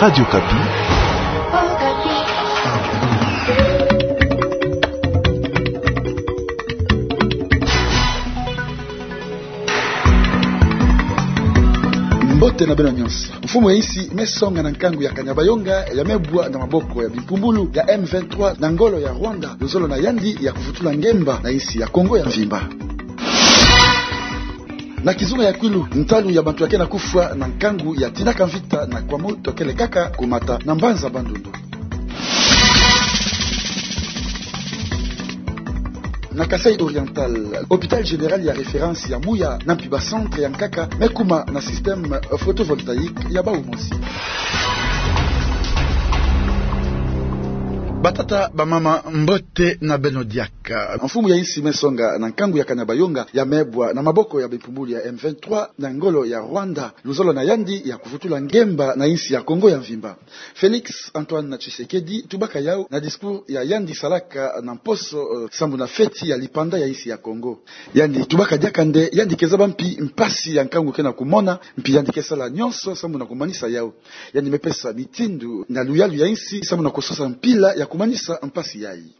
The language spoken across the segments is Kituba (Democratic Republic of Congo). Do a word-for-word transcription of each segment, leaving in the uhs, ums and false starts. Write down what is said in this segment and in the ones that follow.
Radio Kapi. Mbote na beno nyonso. Mfumu ya insi me songa na nkangu ya Kanyabayonga ya me bwa na maboko ya bimpumbulu ya M vingt-trois na ngolo ya Rwanda, luzolo na yandi ya kuvutula ngemba na insi ya Kongo ya mvimba. Na kizunga ya Kwilu, ntalu ya bantu ya ke na kufwa na nkangu ya tinaka mvita na kwa moto kele kaka kumata na mbanza Bandundu. Na Kasaï Oriental, hôpital général ya référence ya Mouya na mpi ba centre ya nkaka me kuma na système photovoltaïque ya bau mosi. Batata, bamama, mbote na beno diaka. Mfumu ya insi me songa na nkangu ya Kanyabayonga ya me bwa na maboko ya bimpumbulu ya M vingt-trois na ngolo ya Rwanda, luzolo na yandi ya kuvutula ngemba na insi ya Kongo ya mvimba. Félix Antoine Tshisekedi tubaka yau na discours ya yandi salaka na mposo, eh, sambu na feti ya lipanda ya insi ya Kongo. Yandi tubaka diaka nde yandi ke zaba mpi mpasi ya nkangu ke na kumona, mpi yandi ke sala nyonso sambu na kumanisa yau. Yandi me pesa mitindu na luyalu ya insi sambu na kusosa mpila ya kumanisa mpasi yayi.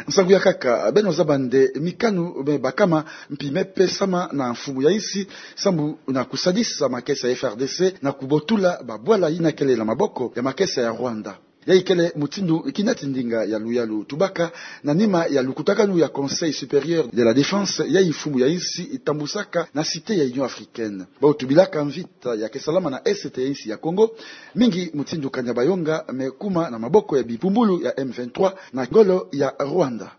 Nsangu ya nkaka, beno zaba nde mikanu me bakama mpi me pesama na mfumu ya insi sambu na kusadisa makesa ya F R D C na kubotula babwala yina kele na maboko ya makesa ya Rwanda. Yayi kele mutindu kinati ndinga ya luyalu tubaka na nima ya lukutakanu ya Conseil supérieur de la défense yayi mfumu ya insi tambusaka na Cité ya Union africaine. Bau tubilaka mvita ya ke salama na est ya insi ya Kongo, mingi mutindu Kanyabayonga me kuma na maboko ya bimpumbulu ya M vingt-trois na ngolo ya Rwanda.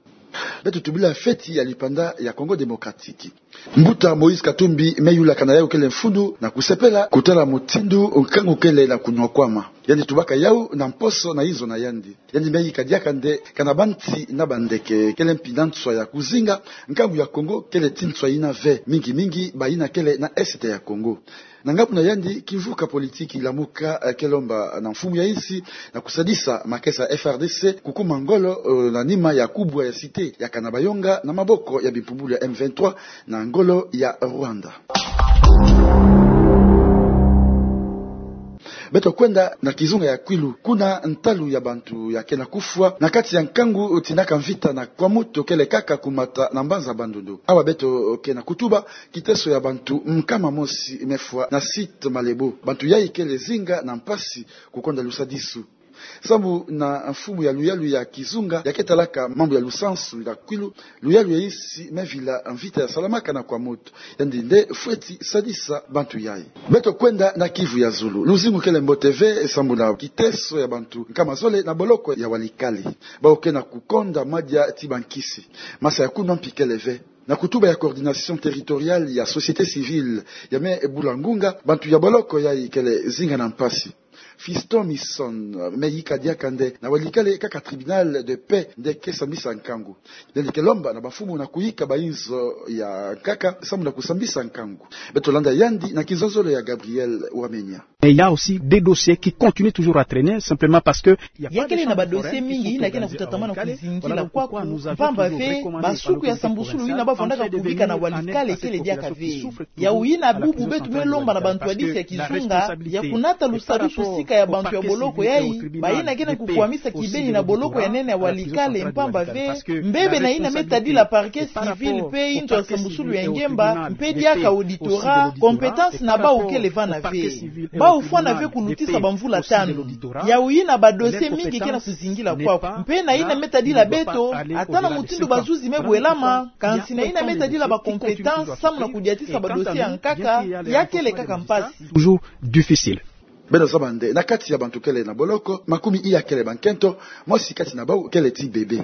Beto tubila feti ya lipanda ya Congo Démocratique. Mbuta Moïse Katumbi me yulakana yau kele mfunu na kusepela kutala mutindu nkangu kele na kunwakwama. Yandi tubaka yau na mposo na inzo na yandi. Yandi me yika diaka nde kana banti na bandeke kele mpi na nswa ya kuzinga, nkangu ya Kongo kele ti nswa yina ve, mingi mingi bayina kele na est ya Kongo. Na ngambu na yandi, kimvuka politiki Lamuka, eh, ke lomba na mfumu ya insi na kusadisa makesa F R D C kukuma ngolo, eh, na nima ya kubwa ya Cité ya Kanyabayonga na maboko ya bimpumbulu ya M vingt-trois na ngolo ya Rwanda. Beto kwenda na kizunga ya Kwilu, kuna ntalu ya bantu ya ke na kufwa na kati ya nkangu tinaka mvita na kwa moto kele kaka kumata na mbanza Bandundu. Awa beto ke na kutuba kiteso ya bantu nkama mosi me fwa na site Malebo. Bantu yayi kele zinga na mpasi kukonda lusadisu. Sambu na mfumu ya luyalu ya kizunga ya ke talaka mambu ya lusansu na Kwilu, luyalu ya insi me vila mvita ya salamaka na kwa moto. Yandi nde fweti sadisa bantu yayi. Beto kwenda na Kivu ya zulu. Luzingu kele mbote ve sambu na kiteso ya bantu nkama zole na boloko ya Walikale. Bau ke na kukonda madia ti bankisi. Masa ya kunwa mpi kele ve. Na kutuba ya coordination territoriale ya société civile ya me bula ngunga, bantu ya boloko yayi kele zinga na mpasi. Fiston Misson me yika diaka nde na Walikale kaka tribunal de paix nde ke sambisa nkangu. Yandi ke lomba na bamfumu na kuyika bainzo ya nkaka sambu na kusambisa nkangu. Beto landa yandi na kizozolo ya Gabriel Wamenya. Mais il y a aussi des dossiers qui continuent toujours à traîner, simplement parce que il y a pas de chambre foraine qui s'ouvre dans les Walikale. Voilà pourquoi nous avons toujours recommandé au gouvernement de continuer à aider cette population qui souffre, qui vit dans cette situation. Voilà. Voilà pourquoi nous avons toujours recommandé à ce gouvernement de continuer à aider cette population qui souffre, qui vit dans cette situation. Yai kele na badosie mingi yina ke na kutatamana kuzingi na kwa ku mpamba ve basukwi ya sambusulu yina bafwanaka kubika na Walikale kele diaka ve. Yau yina bubu beto me lomba na bantu ya bisi ya kizunga ya kunata lusadisu sika ya bantu ya boloko yai, bayina ke na kukwamisa kibeni na boloko ya nene ya Walikale, mpamba ve mbebe na yina me tadila parquet civil mpe inzo ya sambusulu ya ngemba mpe diaka auditorat, compétence na bau kele vana ve. Bau fwana ve kulutisa bamvula tanu. Yau yina badosie mingi ke na kuzingila kwaku. Mpe na yina me tadila beto, ata na mutindu bazuzi me bwelama, kansi na yina me tadila bacompétence samu na kudiatisa badosie ya nkaka, ya kele kaka mpasi. Toujours difficile. Beno zaba nde na kati ya bantu kele na boloko, makumi iya kele bankento, mosi kati na bau kele ti bebe.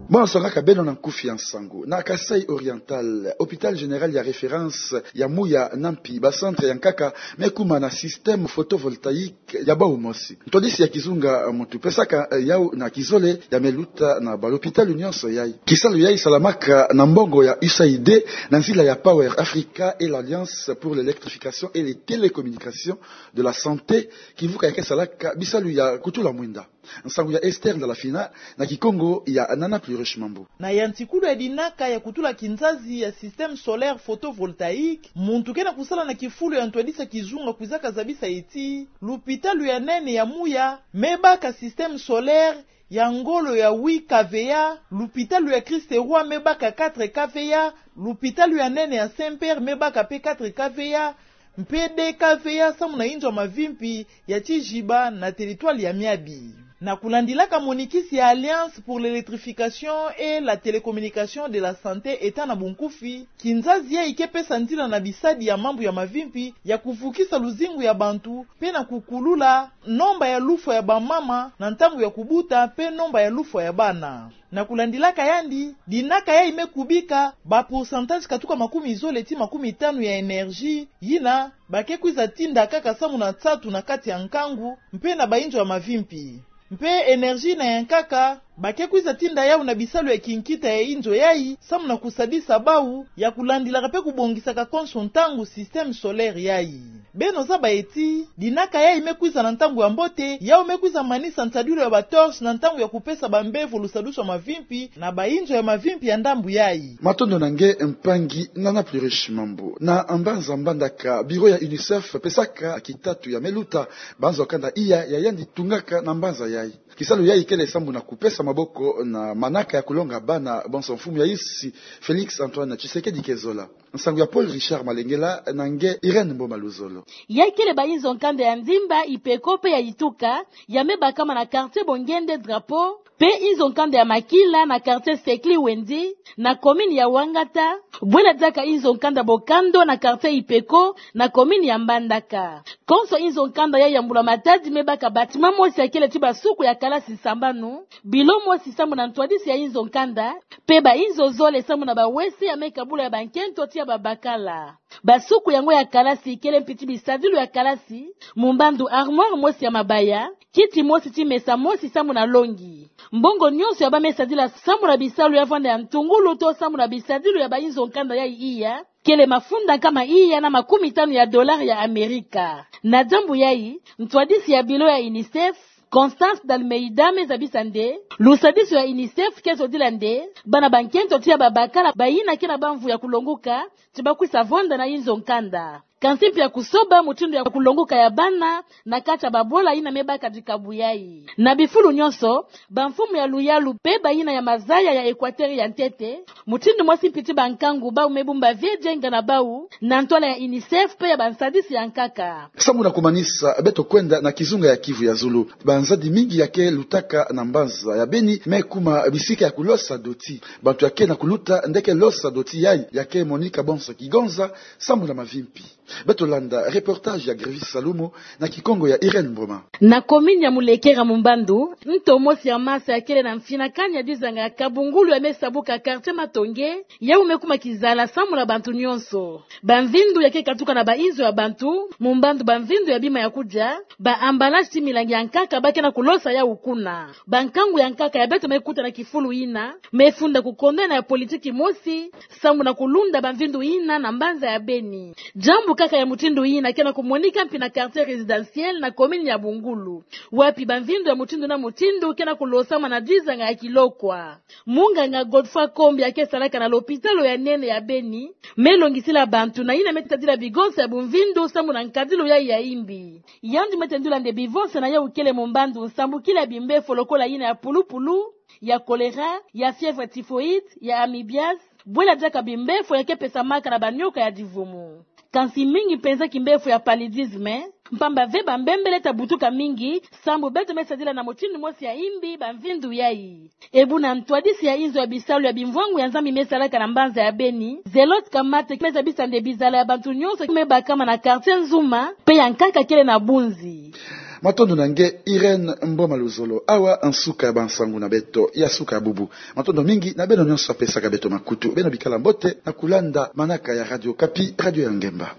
Beno songaka beno na nkufi ya nsangu. Na Kasaï Oriental, hôpital général ya référence ya Mouya na mpi ba centre ya nkaka me kuma na système photovoltaïque ya bau mosi. Ntwadisi ya kizunga muntu pesaka, eh, yau na kizole ya me luta na balopitalu nyonso yai. Kisalu yai salamaka na mbongo ya U S A I D na nzila ya Power Africa et l'Alliance pour l'électrification et les télécommunications de la santé, kimvuka ya ke salaka bisalu ya kutula mwinda. Nsangu ya Esther Ndalafina, na kikongo ya Nana Pluriche Mambu. Na yantikulu ya dinaka ya kutula kinzazi ya système solaire photovoltaïque, muntu ke na kusala na kifulu ya ntwadisi ya kizunga kwizaka zabisa ti lupitalu ya nene ya Muya me baka système solaire ya ngolo ya huit K V A, lupitalu ya Christ-Roi me baka quatre K V A, lupitalu ya nene ya Saint-Père me baka pe quatre K V A, mpe deux K V A samu na inzo ya mavimpi ya Tijiba na territoire ya Miabi. Na kulandilaka monikisi ya Alliance pour l'électrification et la télécommunication de la santé, État na bunkufi, kinzazi yayi ke pesa nzila na bisadi ya mambu ya mavimpi ya kuvukisa luzingu ya bantu, mpe na kukulula nomba ya lufwa ya bamama na ntangu ya kubuta mpe nomba ya lufwa ya bana. Na kulandilaka yandi, dinaka yayi me kubika ba pourcentage katuka makumi zole ti makumi tanu ya énergie yina ba ke kwiza tinda kaka samu na nsatu na kati ya nkangu mpe na bainzo ya mavimpi. Mpe énergie yina ya nkaka ba ke kwiza tinda yawu na bisalu ya kinkita ya inzo yayi samu na kusadisa bawu ya kulandilaka mpe kubongisaka konso ntangu système solaire yayi. Beno zaba ti dinaka yayi me kwiza na ntangu ya mbote, yawu me kwiza manisa nsadilu ya ba torches na ntangu ya kupesa bambevo lusadusu ya mavimpi na bainzo ya mavimpi ya ndambu yayi. Matondo na nge mpangi Nana Pluriche Mambu. Na mbanza Mbandaka, bureau ya UNICEF pesaka kitatu ya me luta banzo kanda iya ya yandi tungaka na mbanza yayi. Kisalu yayi kele samu na kupesa maboko na manaka ya kulonga bana bonso mfumu ya insi Félix Antoine Tshisekedi ke zola. Nsangu ya Paul Richard Malengela na nge Irène Mboma Luzolo. Yayi kele bainzo nkanda ya Ndimba, Ipeko mpe ya Ituka, ya me bakama na quartier Bongende Drapeau, mpe inzo nkanda ya Makila na quartier Sekli Wendi, na commune ya Wangata, bwela diaka inzo nkanda Bokando na quartier Ipeko, na commune ya Mbandaka. Konso inzo nkanda yayi ya Mbula Matadi me baka bâtiment mosi ya kele ti basuku ya kalasi sambanu, bilo mosi samu na ntwadisi ya inzo nkanda, mpe bainzo zole samu na bawese ya me kabula ya bankento ti ya babakala. Basuku yango ya kalasi kele mpi ti bisadilu ya kalasi, mumbandu armoire mosi ya mabaya, kiti mosi ti mesa mosi samu na longi. Mbongo nyonso ya ba me sadila samu na bisalu ya vanda ya ntungulu to samu na bisadilu ya bainzo nkanda yayi iya, kele mafunda nkama iya na makumi tanu ya dollars ya Amerika. Na diambu yayi, ntwadisi ya bilo ya UNICEF, Constance d'Almeida, me zabisa nde lusadisu ya UNICEF ke zodila nde bana bankento ti ya babakala bayina ke na bamvu ya kulonguka ti ba kwisa vonda na inzo nkanda. Kansi mpi ya kusoba mutindu ya kulonguka ya bana na kati ya babola yina me baka dikabu yayi. Na bifulu nyonso, bamfumu ya luyalu mpe bayina ya mazaya ya Equateur ya ntete, mutindu mosi mpi ti bankangu bawu me bumba vie dienga na bawu na ntwala ya UNICEF mpe ya bansadisi ya nkaka. Samu na kumanisa, beto kwenda na kizunga ya Kivu ya zulu. Banzadi mingi ya ke lutaka na mbanza ya Beni me kuma bisika ya kulosa doti. Bantu ya ke na kuluta nde ke losa doti yayi ya ke monika bonso kigonza samu na mavimpi. Beto landa reportage ya Grevis Salumu na kikongo ya Irène Mboma. Na commune ya Mulekera, mumbandu nto mosi ya masa ya kele na mfinakani ya dizanga ya kabungulu ya me sabuka quartier Matonge, yawu me kuma kizala samu na bantu nyonso. Bamvindu ya ke katuka na bainzo ya bantu, mumbandu bamvindu ya bima ya kudia, ba emballage ti milangi ya nkaka ba ke na kulosa yawu kuna. Bankangu ya nkaka ya beto me kuta na kifulu yina me funda kukondana ya politiki mosi samu na kulunda bamvindu yina na mbanza ya Beni. Diambu kaka ya mutindu yina ke na kumonika mpi na quartier résidentiel na commune ya Bungulu, wapi bamvindu ya mutindu na mutindu ke na kulosama na dizanga ya kilokwa. Munganga Godefroid Kombi ya ke salaka na lopitalo ya nene ya Beni me longisila bantu na yina me tadila bigonsa ya bumvindu samu na nkadilu yayi ya imbi. Yandi me tendula nde bivonse na yawu kele mumbandu nsambukila ya bimbefo lokola yina ya pulupulu, ya choléra, ya fièvre typhoïde, ya amibiase, bwela diaka bimbefo ya ke pesamaka na banioka ya divumu. Kansi mingi mpenza kimbefo ya paludisme, mpamba ve bambembele ta butuka mingi sambu beto me sadila na mutindu mosi ya imbi bamvindu yayi. Ebu na ntwadisi ya inzo ya bisalu ya bimvwangu ya Nzambi me salaka na mbanza ya Beni, Zelote Kamate, me zabisa nde bizala ya bantu nyonso me bakama na quartier Nzuma mpe ya nkaka kele na bunzi. Matondo na nge Irène Mboma Luzolo. Awa nsuka ya bansangu na beto ya suka ya bubu. Matondo mingi na beno nyonso ya pesaka beto makutu. Beno bikala mbote na kulanda manaka ya Radio Okapi, radio ya ngemba.